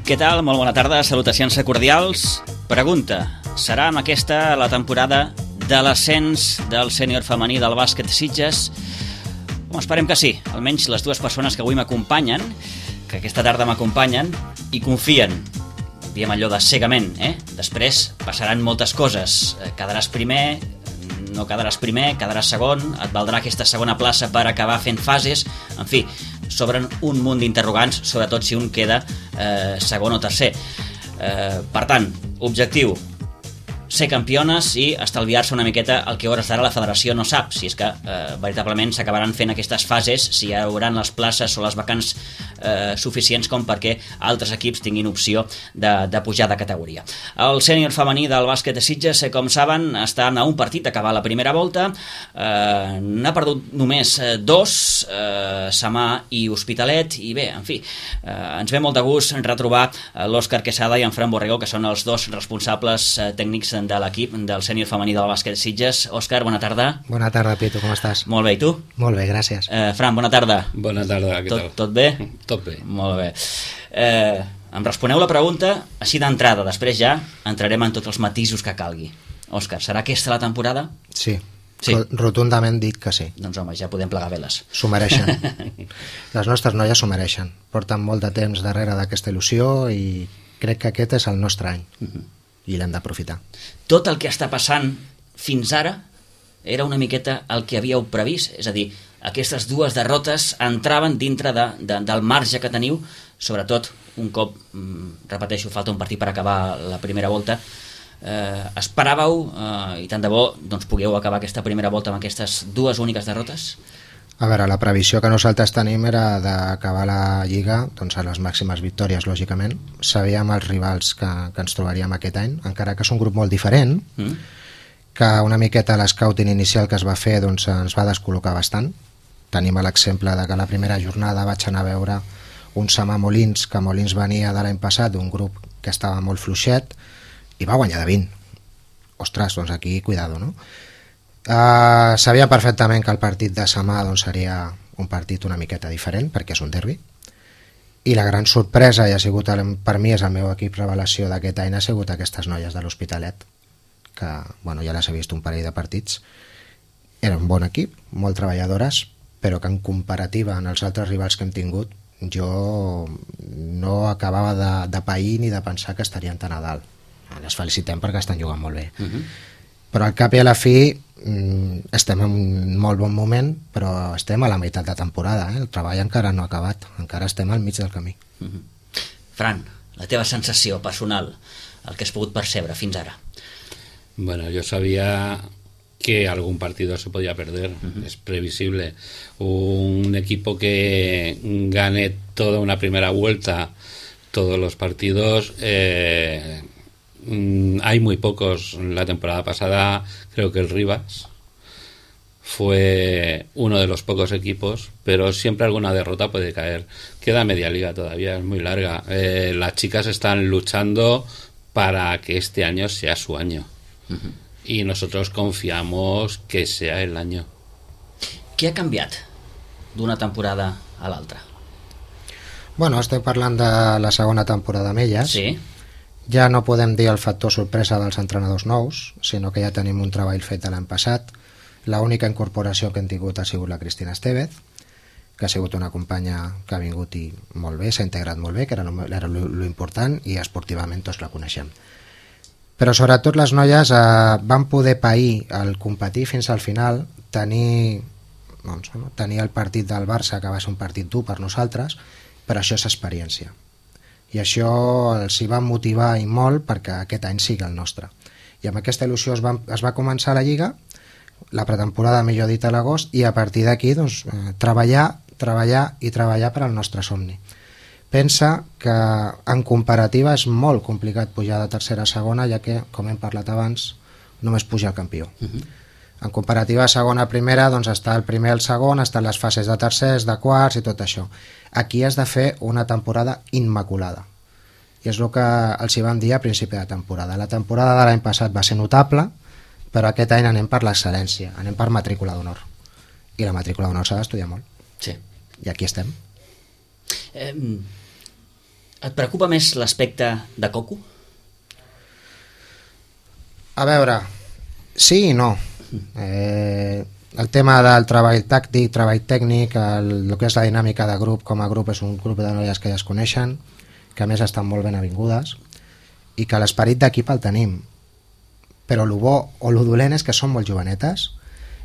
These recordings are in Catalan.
Què tal? Molt bona tarda, salutacions cordials. Pregunta, serà amb aquesta la temporada de l'ascens del sènior femení del bàsquet Sitges? Esperem que sí, almenys les dues persones que avui m'acompanyen, que aquesta tarda m'acompanyen, i confien, diem allò de cegament, Després passaran moltes coses, quedaràs primer, no quedaràs primer, quedaràs segon, et valdrà aquesta segona plaça per acabar fent fases, en fi, s'obren un munt d'interrogants, sobretot si un queda segon o tercer. Per tant, objectiu, ser campiones i estalviar-se una miqueta el que a hores d'ara la federació no sap, si és que veritablement s'acabaran fent aquestes fases, si hi haurà les places o les vacants suficients com perquè altres equips tinguin opció de pujar de categoria. El sènior femení del bàsquet de Sitges, com saben, està a un partit d'acabar la primera volta, n'ha perdut només dos, Samà i Hospitalet, i bé, en fi, ens ve molt de gust retrobar l'Òscar Quesada i en Fran Borrego, que són els dos responsables tècnics de l'equip del sènior femení del bàsquet Sitges. Òscar, bona tarda. Bona tarda, Pietro, com estàs? Molt bé, i tu? Molt bé, gràcies. Fran, bona tarda. Bona tarda, què tal? Tot bé? Tot bé. Molt bé. Em responeu la pregunta així d'entrada, després ja entrarem en tots els matisos que calgui. Òscar, serà aquesta la temporada? Sí. Rotundament dic que sí. Doncs home, ja podem plegar veles. S'ho mereixen. Les nostres noies s'ho mereixen. Porten molt de temps darrere d'aquesta il·lusió i crec que aquest és el nostre any. I l'hem d'aprofitar. Tot el que està passant fins ara era una miqueta el que havíeu previst, és a dir, aquestes dues derrotes entraven dintre del marge que teniu, sobretot un cop, repeteixo, falta un partit per acabar la primera volta. Esperàveu, i tant de bo, doncs pugueu acabar aquesta primera volta amb aquestes dues úniques derrotes? A veure, la previsió que nosaltres tenim era d'acabar la Lliga doncs, a les màximes victòries, lògicament. Sabíem els rivals que ens trobaríem aquest any, encara que és un grup molt diferent, que una miqueta l'escouting inicial que es va fer doncs, ens va descol·locar bastant. Tenim l'exemple de que la primera jornada vaig anar a veure un Samà Molins, que Molins venia de l'any passat d'un grup que estava molt fluixet, i va guanyar de 20. Ostres, doncs aquí, cuidado, no? Sabia perfectament que el partit de Samà doncs, seria un partit una miqueta diferent perquè és un derbi, i la gran sorpresa, i ha sigut per mi és el meu equip revelació d'aquest any, ha sigut aquestes noies de l'Hospitalet, que bueno, ja les he vist un parell de partits. Era un bon equip, molt treballadores, però que en comparativa amb els altres rivals que hem tingut jo no acabava de pair ni de pensar que estarien tan a dalt. Les felicitem perquè estan jugant molt bé. Però al cap i a la fi estem en un molt bon moment, però estem a la meitat de temporada, el treball encara no ha acabat, encara estem al mig del camí. Fran, la teva sensació personal, el que has pogut percebre fins ara? Bueno, yo sabía que algún partido se podía perder, es previsible. Un equipo que gane toda una primera vuelta, todos los partidos, hay muy pocos. La temporada pasada creo que el Rivas fue uno de los pocos equipos, pero siempre alguna derrota puede caer. Queda media liga todavía, es muy larga. Las chicas están luchando para que este año sea su año. Y nosotros confiamos que sea el año. Què ha canviat d'una temporada a l'altra? Bueno, estem parlant de la segona temporada amb elles. Sí. Ja no podem dir el factor sorpresa dels entrenadors nous, sinó que ja tenim un treball fet de l'any passat. L'única incorporació que hem tingut ha sigut la Cristina Estevez, que ha sigut una companya que ha vingut i molt bé, s'ha integrat molt bé, que era lo important, i esportivament tots la coneixem. Però sobretot les noies van poder pair el competir fins al final, tenir el partit del Barça, que va ser un partit dur per nosaltres, però això és experiència. I això els hi va motivar i molt perquè aquest any sigui el nostre. I amb aquesta il·lusió es va començar la Lliga, la pretemporada, millor dit, a l'agost, i a partir d'aquí doncs, treballar per al nostre somni. Pensa que en comparativa és molt complicat pujar de tercera a segona, ja que, com hem parlat abans, només puja el campió. En comparativa segona a primera, doncs està el primer i el segon, estan les fases de tercers, de quarts i tot això. Aquí has de fer una temporada immaculada. I és el que els hi vam dir a principi de temporada. La temporada de l'any passat va ser notable, però aquest any anem per l'excel·lència, anem per matrícula d'honor. I la matrícula d'honor s'ha d'estudiar molt. Sí. I aquí estem. Et preocupa més l'aspecte de Coco? A veure, sí i no. El tema del treball tàctic, treball tècnic, el que és la dinàmica de grup, com a grup és un grup de noies que ja es coneixen, que a més estan molt ben avingudes, i que l'esperit d'equip el tenim. Però el bo o el dolent és que són molt jovenetes,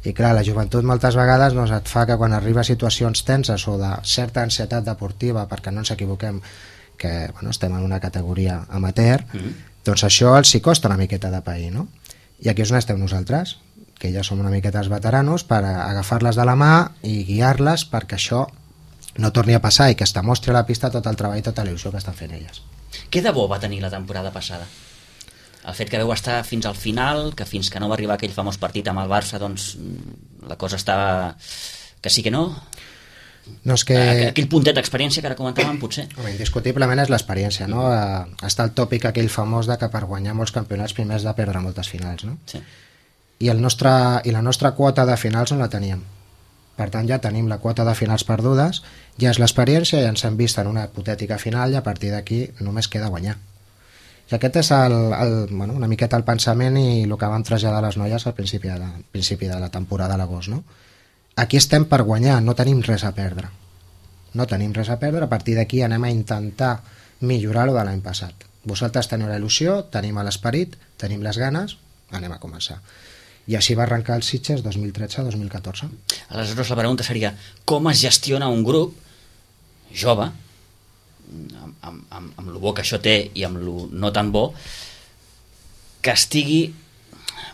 i clar, la joventut moltes vegades doncs, et fa que quan arriba a situacions tenses o de certa ansietat deportiva, perquè no ens equivoquem que bueno, estem en una categoria amateur, doncs això els hi costa una miqueta de pair, no? I aquí és on esteu nosaltres, que ja som una miqueta els veteranos, per agafar-les de la mà i guiar-les perquè això no torni a passar i que es demostri a la pista tot el treball i tota l'il·lusió que estan fent elles. Què de bo va tenir la temporada passada? El fet que veu estar fins al final, que fins que no va arribar aquell famós partit amb el Barça, doncs la cosa estava... que sí que no? No és que... Aquell puntet d'experiència que ara comentàvem, potser. Home, indiscutiblement és l'experiència, no? Està el tòpic aquell famós de que per guanyar molts campionats primer has de perdre moltes finals, no? Sí. I la nostra quota de finals no la teníem. Per tant, ja tenim la quota de finals perdudes, ja és l'experiència, ja ens hem vist en una hipotètica final i a partir d'aquí només queda guanyar. I aquest és bueno, una miqueta el pensament i el que vam traslladar a les noies al principi de la temporada a l'agost, no? Aquí estem per guanyar, no tenim res a perdre. No tenim res a perdre, a partir d'aquí anem a intentar millorar-ho de l'any passat. Vosaltres teniu la il·lusió, tenim l'esperit, tenim les ganes, anem a començar. I així va arrencar el Sitges 2013-2014. Aleshores la pregunta seria, com es gestiona un grup jove, amb lo bo que això té i amb lo no tan bo, que estigui,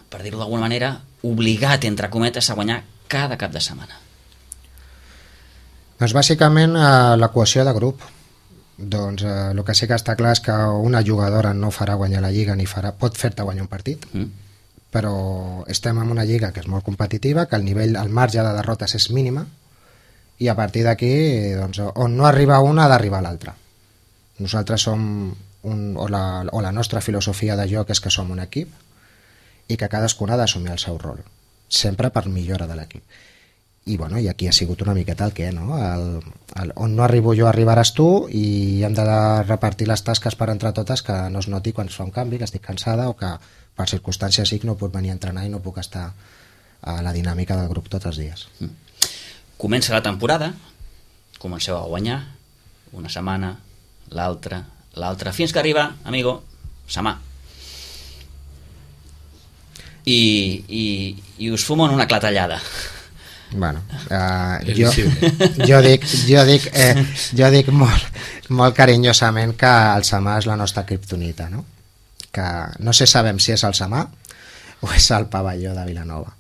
per dir-ho d'alguna manera, obligat, entre cometes, a guanyar cada cap de setmana? Doncs bàsicament la cohesió de grup. Doncs el que sí que està clar és que una jugadora no farà guanyar la lliga ni pot fer-te guanyar un partit, però estem en una lliga que és molt competitiva, que el marge de derrotes és mínima, i a partir d'aquí doncs, on no arriba una ha d'arribar l'altra. Nosaltres som la nostra filosofia de joc és que som un equip i que cadascuna ha d'assumir el seu rol, sempre per millora de l'equip. I, bueno, i aquí ha sigut una miqueta el què, no? On no arribo jo arribaràs tu, i hem de repartir les tasques per entre totes, que no es noti quan es fa un canvi, que estic cansada o que per circumstàncies sí que no puc venir a entrenar i no puc estar a la dinàmica del grup tots els dies. Comença la temporada, comenceu a guanyar una setmana, l'altra, fins que arriba, amigo, Samà. I us fumen una clatellada. Bueno, jo dic molt carinyosament que el Samà és la nostra kriptonita, no? Que no sé sabem si és el Samà o és el pavelló de Vilanova.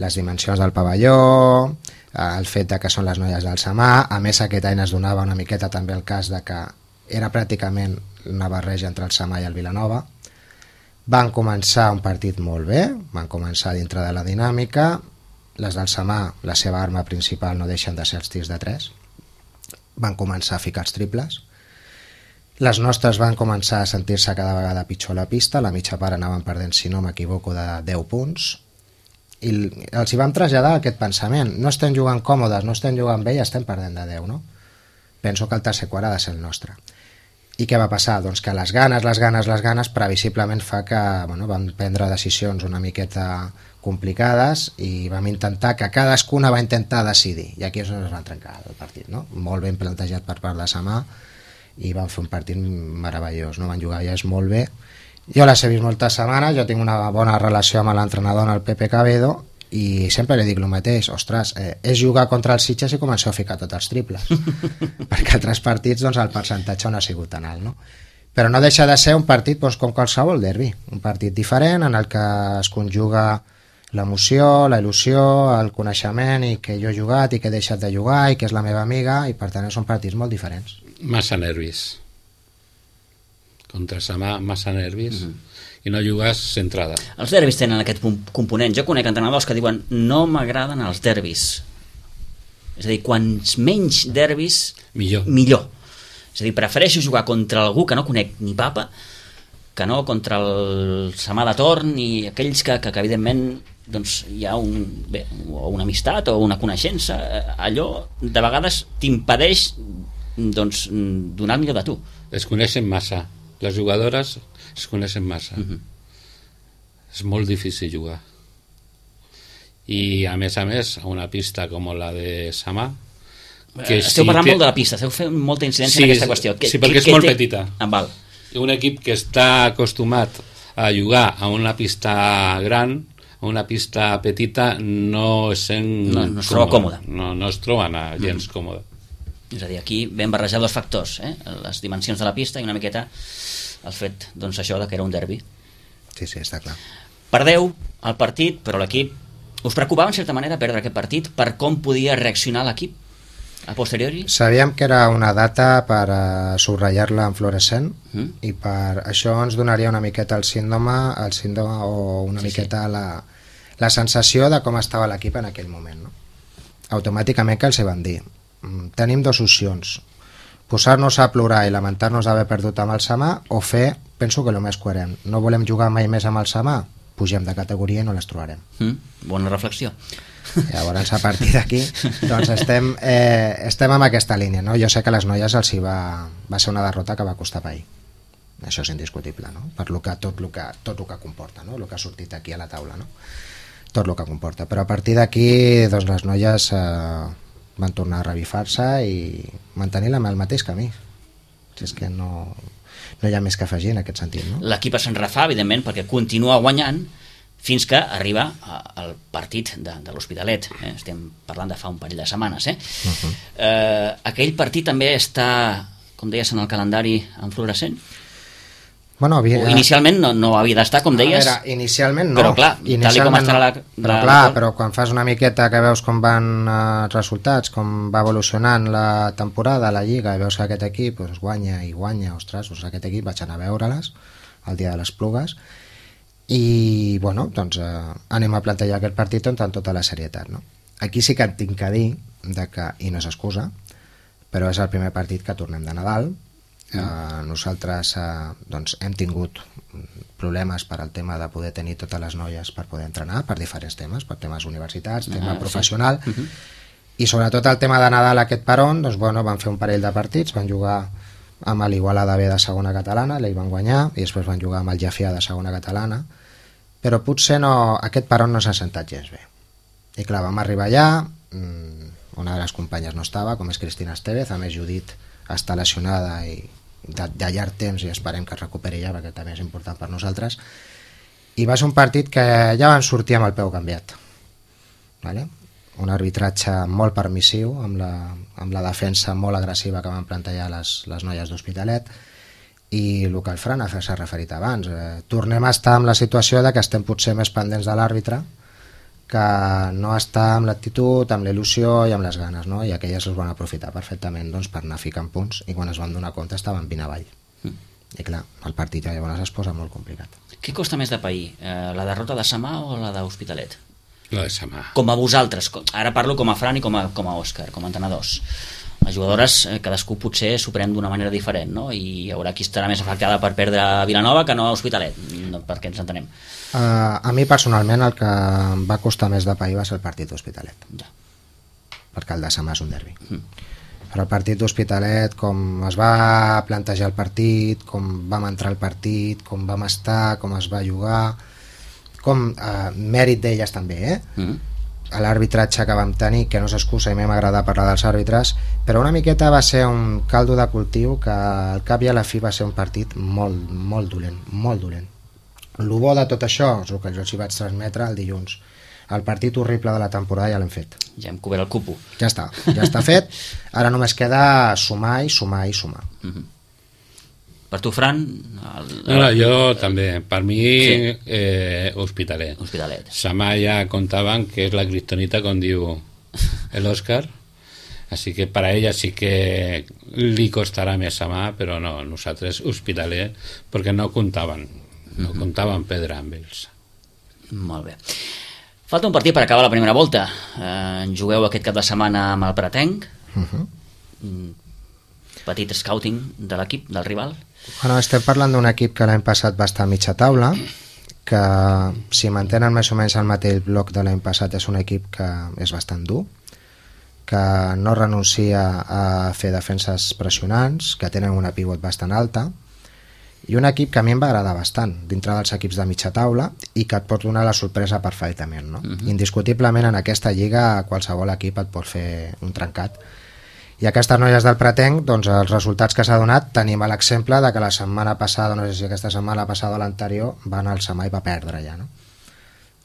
Les dimensions del pavelló, el fet de que són les noies del Samà, a més aquest any es donava una miqueta també el cas de que era pràcticament una barreja entre el Samà i el Vilanova. Van començar un partit molt bé, van començar dintre de la dinàmica. Les del Samà, la seva arma principal no deixen de ser els tirs de 3. Van començar a ficar els triples. Les nostres van començar a sentir-se cada vegada pitjor a la pista, la mitja part anaven perdent, si no m'equivoco, de 10 punts. I els hi vam traslladar aquest pensament. No estem jugant còmodes, no estem jugant bé i estem perdent de 10, no? Penso que el tercer quart ha de ser el nostre. I què va passar? Doncs que les ganes previsiblement fa que vam prendre decisions una miqueta complicades i vam intentar que cadascuna va intentar decidir, i aquí és on es va trencar el partit, no? Molt ben plantejat per part de Samà i van fer un partit meravellós, no? Van jugar elles molt bé. Jo les he vist moltes setmanes, jo tinc una bona relació amb l'entrenador, el Pepe Cabedo, i sempre li dic el mateix, ostres, és jugar contra els Sitges i començar a ficar tots els triples perquè altres partits doncs, el percentatge no ha sigut tan alt, no? Però no deixa de ser un partit doncs, com qualsevol derbi, un partit diferent en el que es conjuga l'emoció, la il·lusió, el coneixement i que jo he jugat i que he deixat de jugar i que és la meva amiga, i per tant són partits molt diferents. Massa nervis contra Samà, massa nervis i no jugues centrada. Els derbis tenen aquest component. Jo conec entrenadors que diuen no m'agraden els derbis. És a dir, quants menys derbis millor. És a dir, prefereixo jugar contra algú que no conec ni papa que no contra el Samà de torn i aquells que evidentment doncs, hi ha una amistat o una coneixença. Allò de vegades t'impedeix doncs, donar el millor de tu. Es coneixen massa. Les jugadores es coneixen massa. És molt difícil jugar. I a més, a una pista com la de Samà, que esteu parlant molt de la pista, esteu fent molta incidència en aquesta qüestió. Sí, perquè és molt petita. Val. Un equip que està acostumat a jugar a una pista gran, a una pista petita, no es troba còmode. No es troben gens còmode. És a dir, aquí vam barrejar dos factors, les dimensions de la pista i una miqueta el fet, doncs, això de que era un derbi. Sí, està clar. Perdeu el partit, però l'equip... Us preocupava, en certa manera, perdre aquest partit per com podia reaccionar l'equip a posteriori? Sabíem que era una data per subratllar-la en fluorescent i per això ens donaria una miqueta el síndrome o una miqueta la sensació de com estava l'equip en aquell moment, no? Automàticament que els hi van dir tenim dues opcions, posar-nos a plorar i lamentar-nos d'haver perdut amb el Samà o fer, penso que el més coherent, no volem jugar mai més amb el Samà, pugem de categoria i no les trobarem. Bona reflexió. Llavors, a partir d'aquí, doncs estem en aquesta línia, no? Jo sé que a les noies els va ser una derrota que va costar pair. Això és indiscutible, no? Per tot el que comporta, no? El que ha sortit aquí a la taula, no? Tot el que comporta. Però a partir d'aquí, doncs les noies van tornar a revifar-se i mantenir el mateix camí. Si és que no hi ha més que afegir en aquest sentit, no? L'equip se'n refà, evidentment, perquè continua guanyant fins que arriba al partit de l'Hospitalet. Estem parlant de fa un parell de setmanes. Aquell partit també està, com deies, en el calendari en fluorescent? Bueno, inicialment no havia d'estar, com deies. A veure, inicialment no. Però clar, tal com estarà però quan fas una miqueta que veus com van els resultats, com va evolucionant la temporada, la Lliga, i veus que aquest equip guanya i guanya, ostres, aquest equip vaig anar a veure-les el dia de les Plugues i, bueno, doncs anem a plantejar aquest partit amb tota la serietat, no? Aquí sí que et tinc que dir i no és excusa, però és el primer partit que tornem de Nadal. Nosaltres doncs hem tingut problemes per al tema de poder tenir totes les noies per poder entrenar, per diferents temes, per temes universitats, tema professional, i sobretot el tema de Nadal, aquest peron, doncs bueno, van fer un parell de partits, van jugar amb l'Igualada B de segona catalana, l'ell van guanyar, i després van jugar amb el Jafià de segona catalana, però potser aquest peron no s'ha sentat gens bé. I clar, vam arribar allà, una de les companyes no estava, com és Cristina Estevez, a més Judit està lesionada i de llarg temps i esperem que es recuperi ja perquè també és important per nosaltres, i va ser un partit que ja van sortir amb el peu canviat, vale? Un arbitratge molt permissiu amb la defensa molt agressiva que van plantejar les noies d'Hospitalet i el que el Fran s'ha referit abans, tornem a estar en la situació de que estem potser més pendents de l'àrbitre que no està amb l'actitud, amb l'il·lusió i amb les ganes, no? I aquelles els van aprofitar perfectament doncs, per anar ficant punts i quan es van donar compte estaven 20 avall. I clar, el partit llavors es posa molt complicat. Què costa més de pair? La derrota de Samà o la d'Hospitalet? La de Samà. Com a vosaltres, ara parlo com a Fran i com a Òscar, com a entrenadors. Les jugadores, cadascú potser s'ho pren d'una manera diferent, no? I hi haurà qui estarà més afectada per perdre a Vilanova que no a Hospitalet, perquè ens entenem. A mi personalment el que em va costar més de pair va ser el partit d'Hospitalet, perquè el de Samà és un derbi. Però el partit d'Hospitalet, com es va plantejar el partit, com vam entrar al partit, com vam estar, com es va jugar, com mèrit d'elles també, l'arbitratge que vam tenir, que no s'excusa i m'hem agradat parlar dels àrbitres, però una miqueta va ser un caldo de cultiu que al cap i a la fi va ser un partit molt dolent, molt dolent. El bo de tot això és el que jo els hi vaig transmetre el dilluns. El partit horrible de la temporada ja l'hem fet. Ja hem cobert el cupo. Ja està fet. Ara només queda sumar i sumar i sumar. Per tu, Fran? Jo també. Per mi, Hospitalet. Samà ja contaven que és la criptonita, com diu l'Òscar. Així que per a ella sí que li costarà més Samà, però no, nosaltres Hospitalet, perquè no comptaven perdre amb ells. Molt bé. Falta un partit per acabar la primera volta. Jugueu aquest cap de setmana amb el Pratenc. Petit scouting de l'equip, del rival. Bueno, estem parlant d'un equip que l'any passat va estar a mitja taula, que si mantenen més o menys el mateix bloc de l'any passat és un equip que és bastant dur, que no renuncia a fer defenses pressionants, que tenen una pivot bastant alta, i un equip que a mi em va agradar bastant dintre dels equips de mitja taula i que et pot donar la sorpresa perfectament, no? Indiscutiblement en aquesta lliga qualsevol equip et pot fer un trencat, i aquestes noies del Pretenc, doncs els resultats que s'ha donat, tenim l'exemple de que la setmana passada, no sé si aquesta setmana passada o l'anterior, van al Samà i va perdre ja, no?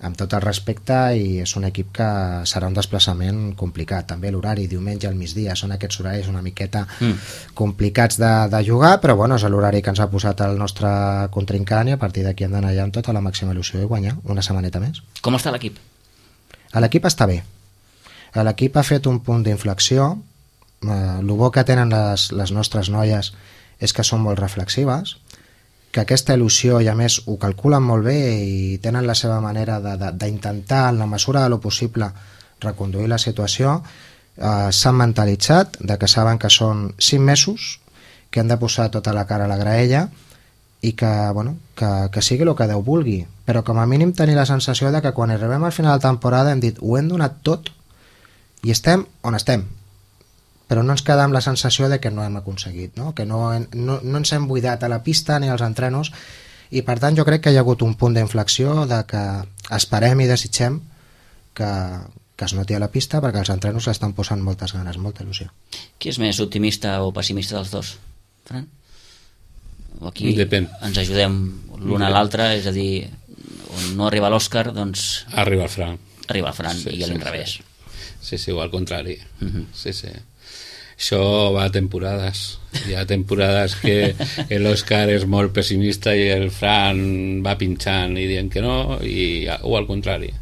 Amb tot el respecte, i és un equip que serà un desplaçament complicat. També l'horari, diumenge al migdia, són aquests horaris una miqueta complicats de jugar, però bueno, és l'horari que ens ha posat el nostre contrincant, i a partir d'aquí hem d'anar allà amb tota la màxima il·lusió i guanyar una setmaneta més. Com està l'equip? L'equip està bé. L'equip ha fet un punt d'inflexió. El bo que tenen les nostres noies és que són molt reflexives, que aquesta il·lusió, i a més ho calculen molt bé i tenen la seva manera d'intentar en la mesura de lo possible reconduir la situació. S'han mentalitzat de que saben que són 5 mesos, que han de posar tota la cara a la graella i que, bueno, que sigui el que Déu vulgui, però com a mínim tenir la sensació de que quan arribem al final de temporada hem dit ho hem donat tot i estem on estem, però no ens queda amb la sensació de que no hem aconseguit, no? Que no ens hem buidat a la pista ni als entrenos, i per tant jo crec que hi ha hagut un punt d'inflexió de que esperem i desitgem que es noti a la pista, perquè els entrenos l'estan posant moltes ganes, molta il·lusió. Qui és més optimista o pessimista dels dos, Fran? O aquí Depèn. ens ajudem l'un a l'altre, és a dir, on no arriba l'Òscar, doncs Arriba el Fran. arriba el Fran, i a l'inrevés. Sí, o al contrari. Sí. Això va a temporades. Hi ha temporades que l'Òscar és molt pessimista i el Fran va pinxant i dient que no, o al contrari.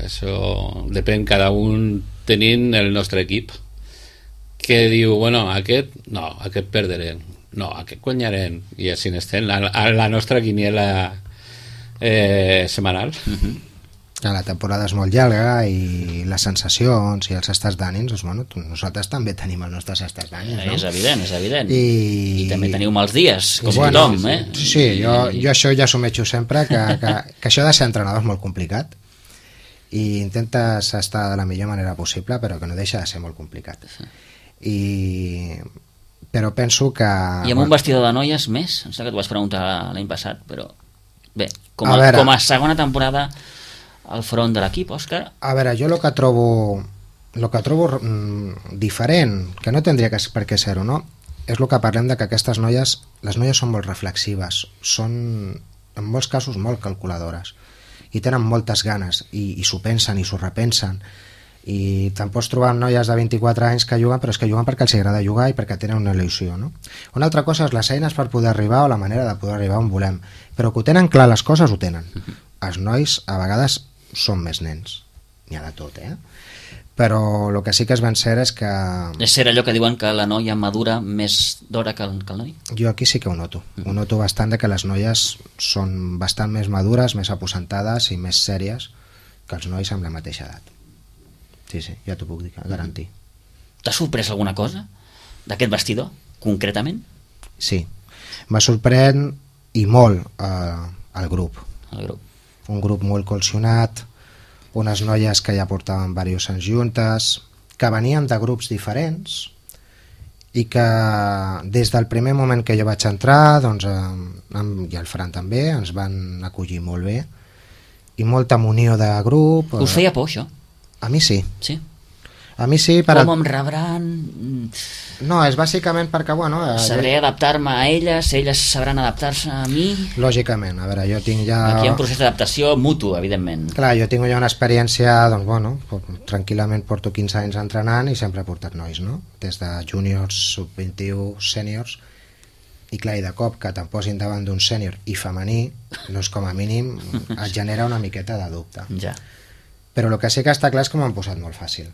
Això depèn, cada un tenint el nostre equip, que diu, bueno, aquest perderem, no, aquest guanyarem, i així estem a la nostra quiniela setmanal. La temporada és molt llarga i les sensacions i els estats d'ànims, doncs, bueno, nosaltres també tenim els nostres estats d'ànims, no? És evident. I també teniu mals dies, com bueno, tothom, eh? Sí, jo això ja assumeixo sempre, que això de ser entrenador és molt complicat i intentes estar de la millor manera possible, però que no deixa de ser molt complicat. Però penso que... I amb un vestidor de noies més? Em sembla que t'ho vas preguntar l'any passat, però bé, com a segona temporada al front de l'equip, Òscar? A veure, jo el que trobo diferent, que no tindria per què ser-ho, no? És el que parlem de que aquestes noies, les noies són molt reflexives, són en molts casos molt calculadores i tenen moltes ganes i s'ho pensen i s'ho repensen, i te'n pots trobar noies de 24 anys que juguen, però és que juguen perquè els agrada jugar i perquè tenen una il·lusió, no? Una altra cosa és les eines per poder arribar o la manera de poder arribar on volem, però que ho tenen clar, les coses ho tenen. Els nois a vegades són més nens, n'hi ha de tot, però el que sí que és ben cert és que... És cert allò que diuen que la noia madura més d'hora que el noi? Jo aquí sí que ho noto. Ho noto bastant, de que les noies són bastant més madures, més aposentades i més sèries que els nois amb la mateixa edat. Sí, ja t'ho puc dir, garantir. T'ha sorprès alguna cosa d'aquest vestidor, concretament? Sí, m'ha sorprèn i molt el grup. Un grup molt cohesionat, unes noies que ja portaven diversos anys juntes, que venien de grups diferents i que des del primer moment que jo vaig entrar, doncs, i el Fran també, ens van acollir molt bé i molta munió de grup. Us feia por, això? A mi sí. Sí? A mi sí. Com em rebran? No, és bàsicament perquè, bueno... Sabré adaptar-me a elles sabran adaptar-se a mi? Lògicament, a veure, jo tinc ja... Aquí hi ha un procés d'adaptació mutu, evidentment. Clar, jo tinc ja una experiència, doncs, bueno, tranquil·lament porto 15 anys entrenant i sempre he portat nois, no? Des de júniors, sub-21, sèniors, i clar, i de cop que te'n posin davant d'un sènior i femení, doncs com a mínim et genera una miqueta de dubte. Ja. Però el que sí que està clar és que m'han posat molt fàcil.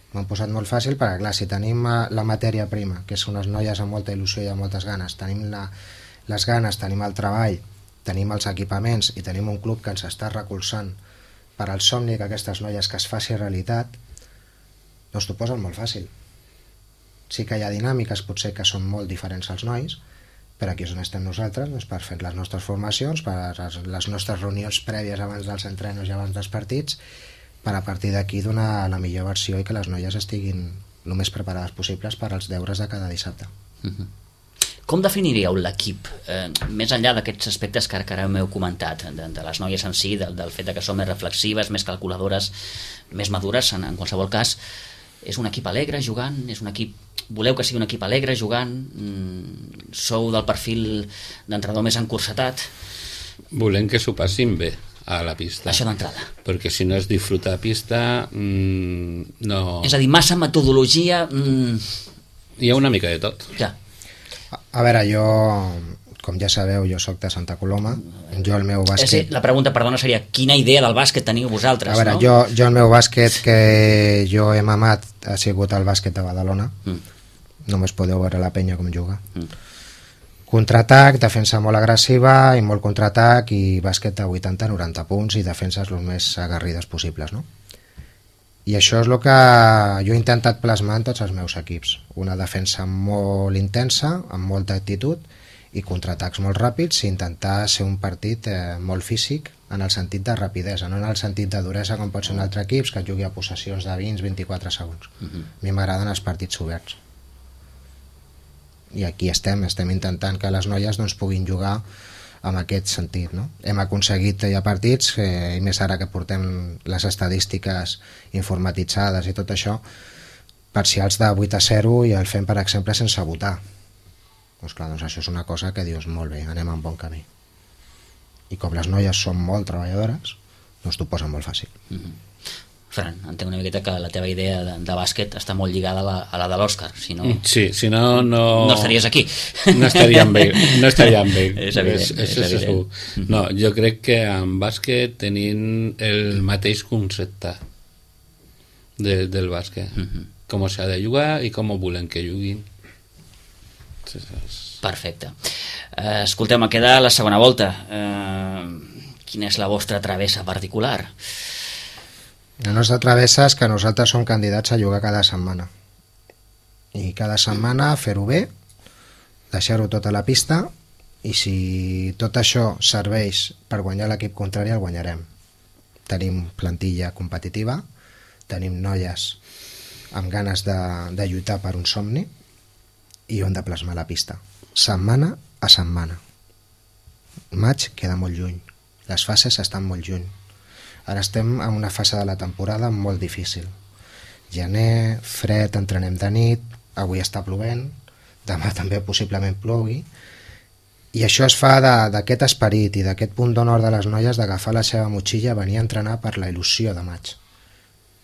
M'han posat molt fàcil perquè, clar, si tenim la matèria prima, que són unes noies amb molta il·lusió i amb moltes ganes, tenim les ganes, tenim el treball, tenim els equipaments i tenim un club que ens està recolzant per al somni que aquestes noies que es faci realitat, doncs t'ho posen molt fàcil. Sí que hi ha dinàmiques potser que són molt diferents als nois, però aquí és on estem nosaltres, doncs, per fer les nostres formacions, per les nostres reunions prèvies abans dels entrenos i abans dels partits, per a partir d'aquí donar la millor versió i que les noies estiguin el més preparades possibles per als deures de cada dissabte. Com definiríeu l'equip? Més enllà d'aquests aspectes que ara m'heu comentat, de les noies en si, del fet que són més reflexives, més calculadores, més madures, en qualsevol cas, és un equip alegre jugant? És un equip... Voleu que sigui un equip alegre jugant? Sou del perfil d'entrenador més encursetat? Volem que s'ho passin bé a la pista. Això d'entrada. Perquè si no es disfruta a pista, no... És a dir, massa metodologia... Hi ha una mica de tot. Ja. A veure, jo, com ja sabeu, jo sóc de Santa Coloma. Jo el meu bàsquet... La pregunta, perdona, seria quina idea del bàsquet teniu vosaltres? A veure, no? jo el meu bàsquet que jo he mamat ha sigut el bàsquet de Badalona. Només podeu veure la penya com juga. Contraatac, defensa molt agressiva i molt contraatac i bàsquet de 80-90 punts i defenses el més aguerrides possibles, no? I això és el que jo he intentat plasmar en tots els meus equips. Una defensa molt intensa, amb molta actitud, i contraatacs molt ràpids, i intentar ser un partit molt físic en el sentit de rapidesa, no en el sentit de duresa com pot ser un altre equip que jugui a possessions de 20-24 segons. A mi m'agraden els partits oberts. I aquí estem intentant que les noies doncs, puguin jugar amb aquest sentit, no? Hem aconseguit ja partits, i més ara que portem les estadístiques informatitzades i tot això, parcials de 8-0 i el fem, per exemple, sense votar. Doncs clar, doncs això és una cosa que dius, molt bé, anem en bon camí. I com les noies són molt treballadores, doncs t'ho posen molt fàcil. Fran, entenc una miqueta que la teva idea de bàsquet està molt lligada a la de l'Òscar, si no... Sí, si no... No estaries aquí. No estaríem bé. És evident. És segur. No, jo crec que en bàsquet tenim el mateix concepte del bàsquet. Com s'ha de jugar i com volem que juguin. Perfecte. Escolteu, me queda la segona volta. Quina és la vostra travessa particular? La nostra travessa és que nosaltres som candidats a jugar cada setmana. I cada setmana fer-ho bé, deixar-ho tot a la pista, i si tot això serveix per guanyar l'equip contrari, el guanyarem. Tenim plantilla competitiva, tenim noies amb ganes de lluitar per un somni, i ho hem de plasmar a la pista. Setmana a setmana. Maig queda molt lluny. Les fases estan molt lluny. Ara estem en una fase de la temporada molt difícil. Gener, fred, entrenem de nit, avui està plovent, demà també possiblement plogui, i això es fa d'aquest esperit i d'aquest punt d'honor de les noies d'agafar la seva motxilla, venir a entrenar per la il·lusió de maig.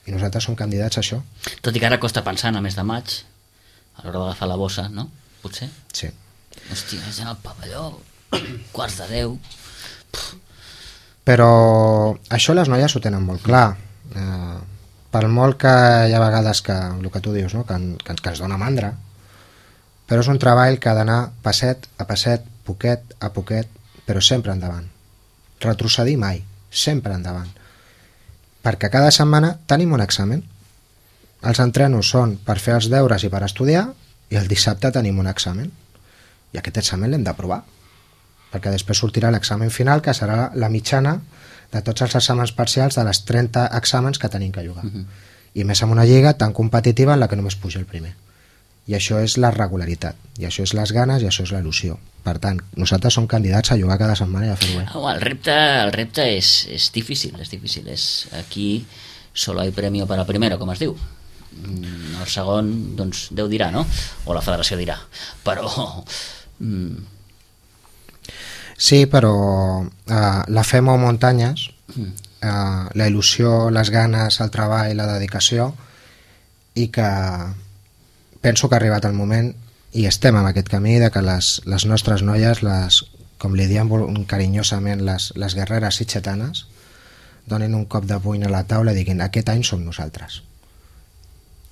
I nosaltres som candidats a això. Tot i que ara costa pensar en el mes de maig, a l'hora d'agafar la bossa, no? Potser? Sí. Hòstia, és en el pavelló, quarts de 10... Però això les noies ho tenen molt clar. Per molt que hi ha vegades que, el que tu dius, no? que ens dona mandra, però és un treball que ha d'anar passet a passet, poquet a poquet, però sempre endavant. Retrocedir mai, sempre endavant. Perquè cada setmana tenim un examen. Els entrenos són per fer els deures i per estudiar, i el dissabte tenim un examen. I aquest examen l'hem d'aprovar, perquè després sortirà l'examen final, que serà la mitjana de tots els exàmens parcials de les 30 exàmens que tenim que jugar. I més amb una lliga tan competitiva en la que només puja el primer. I això és la regularitat, i això és les ganes, i això és la il·lusió. Per tant, nosaltres som candidats a jugar cada setmana i a fer-ho bé. El repte és difícil, és difícil. Aquí solo hay premio para primero, com es diu. El segon, doncs, Déu dirà, no? O la federació dirà. Però... Sí, però la fe mou muntanyes, la il·lusió, les ganes, el treball, la dedicació, i que penso que ha arribat el moment, i estem en aquest camí, de que les nostres noies, com li diem carinyosament, les guerreres sitgetanes, donin un cop de puny a la taula i diguin, aquest any som nosaltres.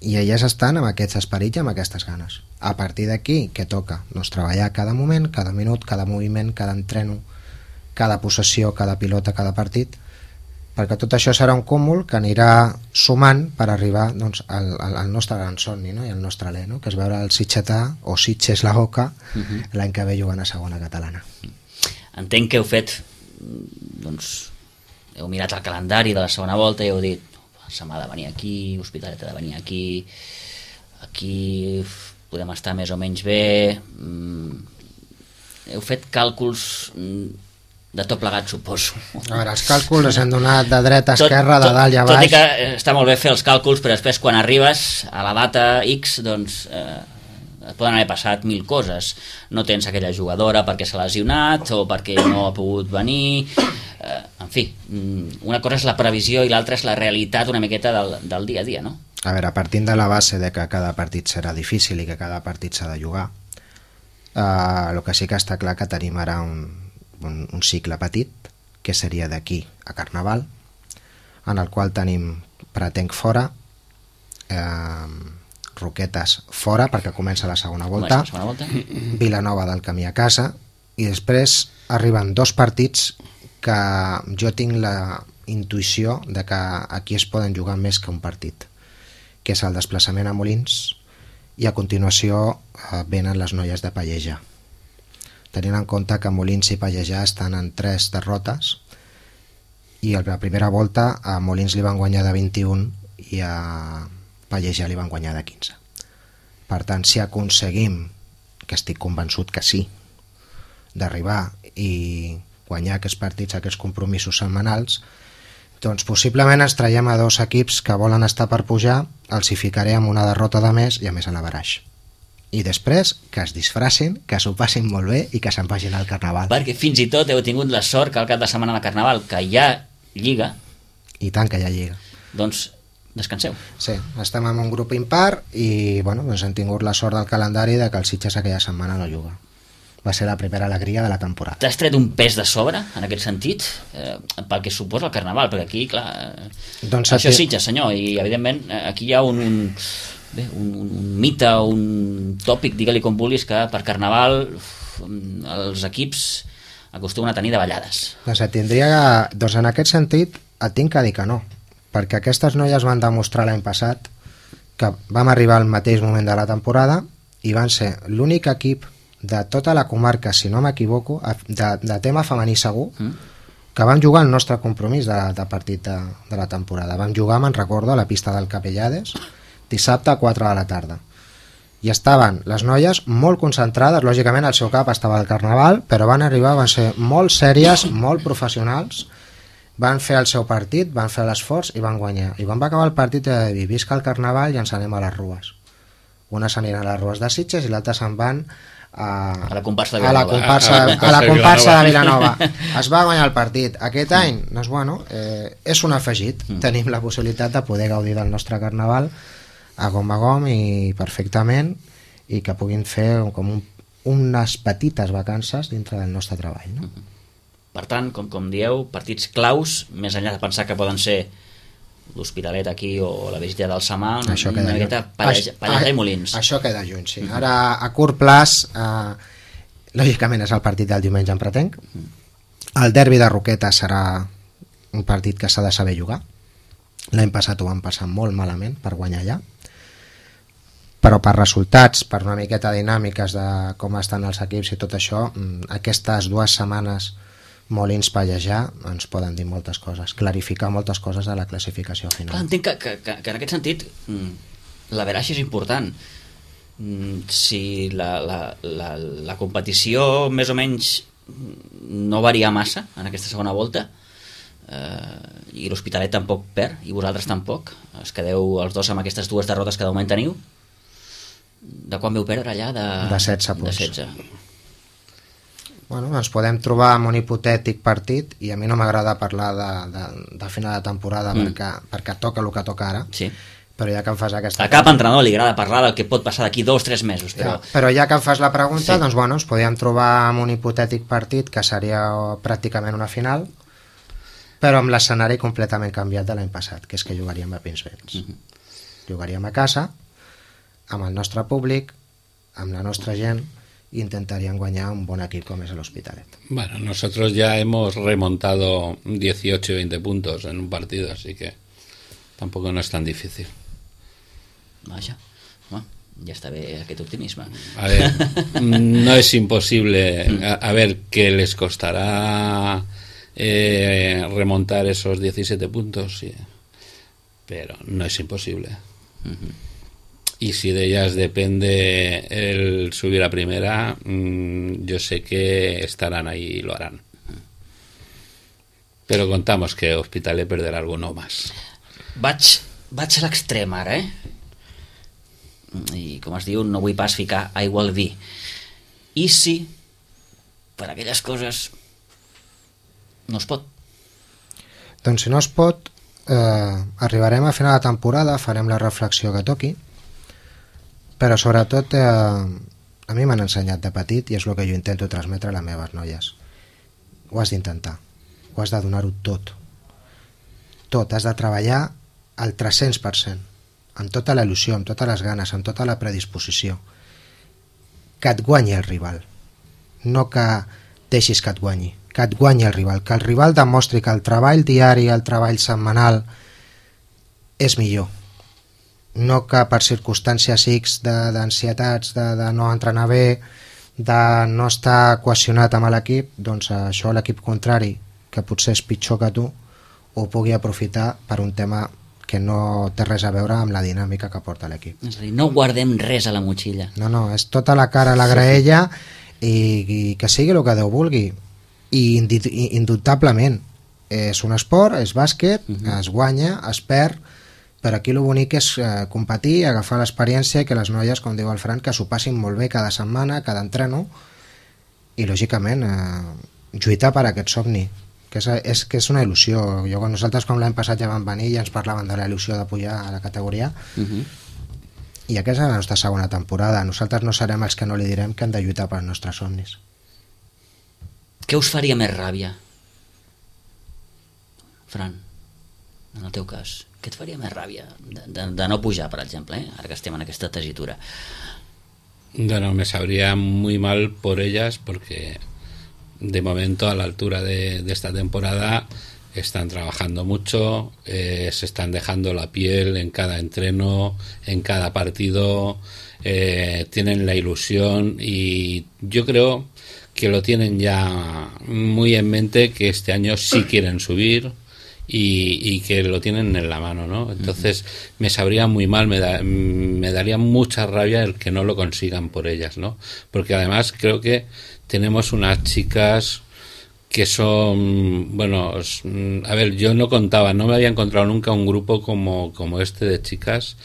I elles estan amb aquests esperits i amb aquestes ganes. A partir d'aquí, què toca? Doncs treballar cada moment, cada minut, cada moviment, cada entreno, cada possessió, cada pilota, cada partit, perquè tot això serà un cúmul que anirà sumant per arribar doncs, al nostre gran somni, no? I al nostre alè, no? Que és veure el sitgetà o Sitges la Oca l'any que ve jugant a segona catalana. Entenc que heu fet, doncs, heu mirat el calendari de la segona volta i heu dit, Samà ha de venir aquí, Hospitalet ha de venir aquí, aquí podem estar més o menys bé. Heu fet càlculs de tot plegat, suposo. A veure, els càlculs els hem donat de dreta a esquerra, de dalt i a baix. Tot i que està molt bé fer els càlculs, però després quan arribes a la data X, doncs et poden haver passat 1000 coses. No tens aquella jugadora perquè s'ha lesionat o perquè no ha pogut venir. En fi, una cosa és la previsió i l'altra és la realitat una miqueta del dia a dia, no? A veure, partint de la base de que cada partit serà difícil i que cada partit s'ha de jugar, el que sí que està clar que tenim ara un cicle petit, que seria d'aquí a Carnaval, en el qual tenim Pratenc fora, Roquetes fora, perquè comença la segona volta, Vilanova del camí a casa, i després arriben 2 partits que jo tinc la intuïció de que aquí es poden jugar més que un partit, que és el desplaçament a Molins, i a continuació venen les noies de Pallejà, tenint en compte que Molins i Pallejà estan en 3 derrotes, i a la primera volta a Molins li van guanyar de 21 i a Pallejà li van guanyar de 15. Per tant, si aconseguim, que estic convençut que sí, d'arribar i guanyar aquests partits, aquests compromisos setmanals, doncs possiblement ens traiem a 2 equips que volen estar per pujar, els hi ficaré amb una derrota de més i a més a la baraix. I després que es disfracin, que s'ho passin molt bé i que se'n vagin al Carnaval. Perquè fins i tot heu tingut la sort que al cap de setmana de Carnaval, que hi ha Lliga... I tant que hi ha Lliga. Doncs descanseu. Sí, estem en un grup impar i bueno, doncs hem tingut la sort del calendari de que el Sitges aquella setmana no juga. Va ser la primera alegria de la temporada. T'has tret un pes de sobre, en aquest sentit, pel que suposa el Carnaval, perquè aquí, clar, doncs això és Sitges, senyor, i evidentment aquí hi ha un mite, un tòpic, digue-li com vulguis, que per Carnaval els equips acostumen a tenir davallades. Doncs en aquest sentit et tinc que dir que no, perquè aquestes noies van demostrar l'any passat que vam arribar al mateix moment de la temporada i van ser l'únic equip de tota la comarca, si no m'equivoco, de tema femení segur, que vam jugar el nostre compromís de partit de la temporada. Vam jugar, me'n recordo, a la pista del Capellades, dissabte a 4 de la tarda. I estaven les noies molt concentrades, lògicament el seu cap estava al Carnaval, però van arribar, van ser molt sèries, molt professionals, van fer el seu partit, van fer l'esforç i van guanyar. I van acabar el partit de dir, visca el Carnaval i ens anem a les rues. Unes aniran a les rues de Sitges i l'altre se'n van a la comparsa de Vilanova. A la comparsa de Vilanova. Es va guanyar el partit. Aquest any, doncs bueno, és un afegit. Tenim la possibilitat de poder gaudir del nostre Carnaval a gom i perfectament, i que puguin fer com unes petites vacances dintre del nostre treball, no? Per tant, com dieu, partits claus, més enllà de pensar que poden ser l'Hospitalet aquí o la visita del Samà, una miqueta Pallejà i Molins. Això queda lluny, sí. Ara, a curt plaç, lògicament és el partit del diumenge en Pratenc. El derbi de Roquetes serà un partit que s'ha de saber jugar. L'any passat ho van passar molt malament per guanyar allà, però per resultats, per una miqueta dinàmiques de com estan els equips i tot això, aquestes 2 setmanes Molins-Pallejà ens poden dir moltes coses, clarificar moltes coses de la classificació final. Clar, entenc que en aquest sentit la veraix és important. Si la competició més o menys no varia massa en aquesta segona volta, i l'Hospitalet tampoc perd i vosaltres tampoc, es quedeu els dos amb aquestes 2 derrotes que de moment teniu, de quan veu perdre allà? De 16 punts. De 16. Bueno, ens podem trobar amb un hipotètic partit, i a mi no m'agrada parlar de final de temporada perquè toca el que toca ara, sí. Però ja que em fas aquesta... A cap entrenador li agrada parlar del que pot passar d'aquí 2 o 3 mesos. Però ja que em fas la pregunta, doncs bueno, ens podríem trobar amb un hipotètic partit que seria pràcticament una final, però amb l'escenari completament canviat de l'any passat, que és que jugaríem a Pinsbens. Jugaríem a casa, amb el nostre públic, amb la nostra gent, y intentarían guanyar un buen equipo como es el Hospitalet. Bueno, nosotros ya hemos remontado 18 y 20 puntos en un partido, así que tampoco no es tan difícil. Vaja, bueno, ya está bé aquest optimisme. A ver, no es imposible. A ver, que les costará remontar esos 17 puntos, sí. pero no es imposible. Y si de ellas depende el subir a primera, yo sé que estarán ahí y lo harán. Però contamos que Hospitalet perderà alguno más. Vaig a l'extrem ara, I com es diu, no vull pas ficar aigua al vi. I si per aquelles coses no es pot? Doncs si no es pot, arribarem a final de temporada, farem la reflexió que toqui, però sobretot a mi m'han ensenyat de petit, i és el que jo intento transmetre a les meves noies. Ho has d'intentar, ho has de donar-ho tot, has de treballar al 300%, amb tota la il·lusió, amb totes les ganes, amb tota la predisposició, que et guanyi el rival, no que deixis que et guanyi el rival, que el rival demostri que el treball diari, el treball setmanal és millor, no que per circumstàncies X d'ansietats, de no entrenar bé, de no estar cohesionat amb l'equip, doncs això l'equip contrari, que potser és pitjor que tu, ho pugui aprofitar per un tema que no té res a veure amb la dinàmica que porta l'equip. És a dir, no guardem res a la motxilla. No, és tota la cara a la graella i que sigui el que Déu vulgui. I indubtablement és un esport, és bàsquet, es guanya, es perd, però aquí el bonic és competir, agafar l'experiència i que les noies, com diu el Fran, que s'ho passin molt bé cada setmana, cada entreno, i lògicament lluitar per aquest somni, que és una il·lusió. Nosaltres, com l'any passat ja vam venir i ens parlaven de la il·lusió de pujar a la categoria, i aquesta és la nostra segona temporada. Nosaltres no serem els que no li direm que hem de lluitar pels nostres somnis. Què us faria més ràbia? Fran, en el teu cas, què et faria més ràbia de no pujar, per exemple, ara que estem en aquesta tessitura? Bueno, me sabría muy mal por ellas porque de momento a la altura de esta temporada están trabajando mucho, se están dejando la piel en cada entreno, en cada partido, tienen la ilusión y yo creo que lo tienen ya muy en mente, que este año sí quieren subir y que lo tienen en la mano, ¿no? Entonces me sabría muy mal, me daría mucha rabia el que no lo consigan por ellas, ¿no? Porque además creo que tenemos unas chicas que son, bueno, a ver, yo no me había encontrado nunca un grupo como este de chicas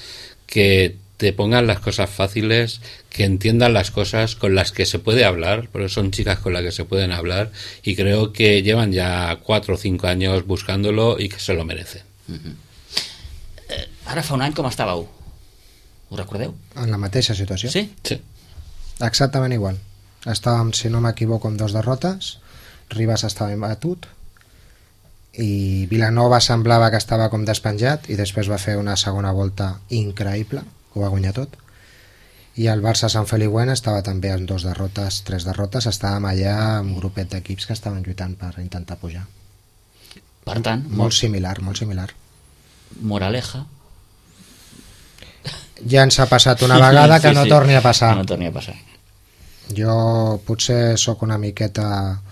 que te pongan las cosas fáciles, que entiendan las cosas con las que se puede hablar, porque son chicas con las que se pueden hablar, y creo que llevan ya 4 o 5 años buscándolo i que se lo merecen. Ara fa un any com estàveu? Ho recordeu? En la mateixa situació. Sí? Sí. Exactament igual. Estàvem, si no m'equivoco, amb 2 derrotes, Ribas estava imbatut i Vilanova semblava que estava com despenjat i després va fer una segona volta increïble, ho va guanyar tot, i el Barça Sant Feliuent estava també amb 2 derrotes, 3 derrotes, estàvem allà amb un grupet d'equips que estaven lluitant per intentar pujar. Per tant, molt similar. Moraleja. Ja ens ha passat una vegada, que no torni a passar. Que no torni a passar. Jo potser sóc una miqueta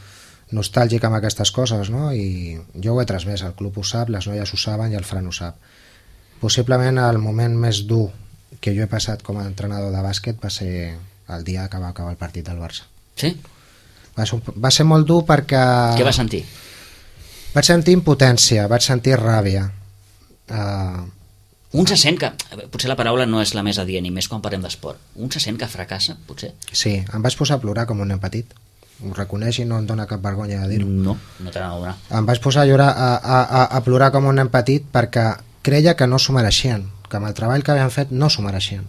nostàlgic amb aquestes coses, no? I jo ho he transmès, el club ho sap, les noies ho saben i el Fran ho sap. Possiblement el moment més dur que jo he passat com a entrenador de bàsquet va ser el dia que va acabar el partit del Barça. Sí? Va ser molt dur perquè... Què vas sentir? Vaig sentir impotència, vaig sentir ràbia. Un se sent que... Potser la paraula no és la més adient, i més quan parlem d'esport. Un se sent que fracassa, potser? Sí, em vaig posar a plorar com un nen petit. Ho reconeix i no em dóna cap vergonya de dir-ho. No te n'ha de donar. Em vaig posar a llorar, a plorar com un nen petit perquè creia que no s'ho mereixien, que amb el treball que havien fet no s'ho mereixien.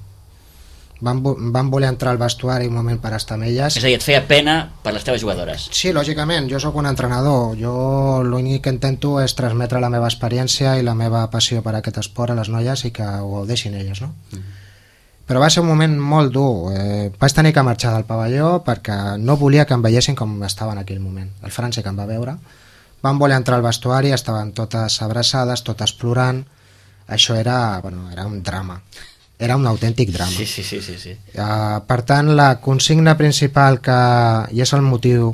Van voler entrar al vestuari un moment per estar amb elles. És a dir, et feia pena per les teves jugadores. Sí, lògicament, jo sóc un entrenador. Jo l'únic que intento és transmetre la meva experiència i la meva passió per aquest esport a les noies i que ho gaudeixin elles, no? Però va ser un moment molt dur. Vaig tenir que marxar del pavelló perquè no volia que em veiessin com estava en aquell moment. El Fran sí que em va veure. Van voler entrar al vestuari, estaven totes abraçades, totes plorant. Això era un drama. Era un autèntic drama. Sí. Per tant, la consigna principal i és el motiu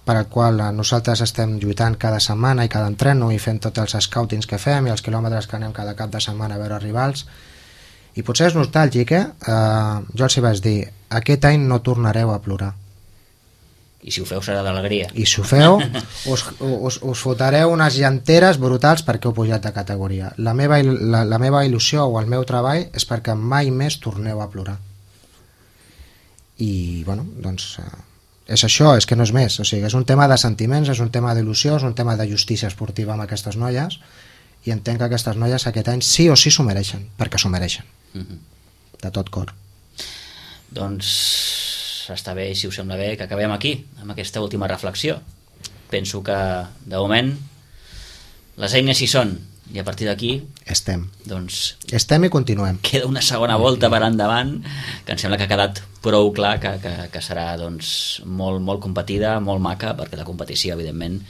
per al qual nosaltres estem lluitant cada setmana i cada entreno i fent tots els scoutings que fem i els quilòmetres que anem cada cap de setmana a veure rivals, i potser és nostàlgic, jo els hi vaig dir, aquest any no tornareu a plorar, I si ho feu serà d'alegria. i si ho feu us fotareu unes llanteres brutals perquè heu pujat de categoria. La meva il·lusió o el meu treball és perquè mai més torneu a plorar. I bueno, doncs és això, és que no és més, o sigui, és un tema de sentiments, és un tema d'il·lusió, és un tema de justícia esportiva amb aquestes noies, i entenc que aquestes noies aquest any sí o sí s'ho mereixen, perquè s'ho mereixen de tot cor. Doncs està bé, si us sembla bé, que acabem aquí amb aquesta última reflexió. Penso que de moment les eines hi són, i a partir d'aquí Estem doncs i continuem. queda una segona volta per endavant, que em sembla que ha quedat prou clar que serà doncs molt, molt competida, molt maca, perquè la competició evidentment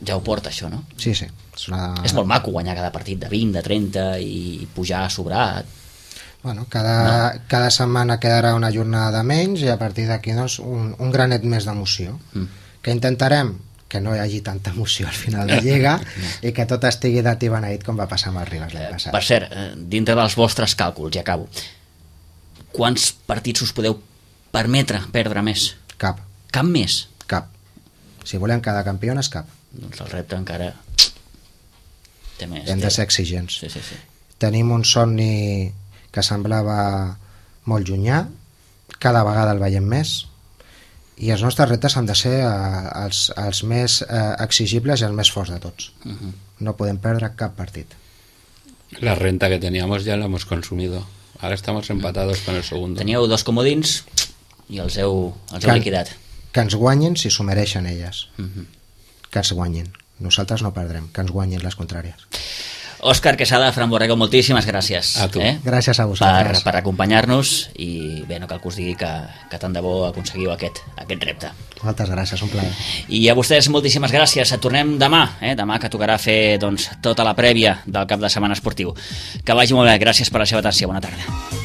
ja ho porta això, no? Sí. És molt maco guanyar cada partit de 20, de 30 i pujar sobrat. Bueno, cada setmana quedarà una jornada menys i a partir d'aquí doncs, un granet més d'emoció. Que intentarem que no hi hagi tanta emoció al final de Lliga i que tot estigui dat i beneït com va passar amb els Ribes l'any passat. Per cert, dintre dels vostres càlculs, ja acabo, quants partits us podeu permetre perdre més? Cap. Cap més? Cap. Si volem cada campiones, cap. Doncs el repte encara té més. Hem de ser exigents. Sí. Tenim un somni que semblava molt llunyà, cada vegada el veiem més, i els nostres reptes han de ser els més exigibles i els més forts de tots. No podem perdre cap partit. La renta que teníamos ya la hemos consumido. Ahora estamos empatados con el segundo. Teníeu 2 comodins i els heu liquidat. Que ens guanyin si s'ho mereixen elles. Que ens guanyin. Nosaltres no perdrem, que ens guanyin les contràries. Òscar Quesada, Fran Borrego, moltíssimes gràcies. A tu. Gràcies a vosaltres. Per acompanyar-nos i bé, no cal que us digui que tant de bo aconseguiu aquest repte. Moltes gràcies, un plaer. I a vostès moltíssimes gràcies. Tornem demà, demà que tocarà fer doncs, tota la prèvia del cap de setmana esportiu. Que vagi molt bé, gràcies per la seva atenció, bona tarda.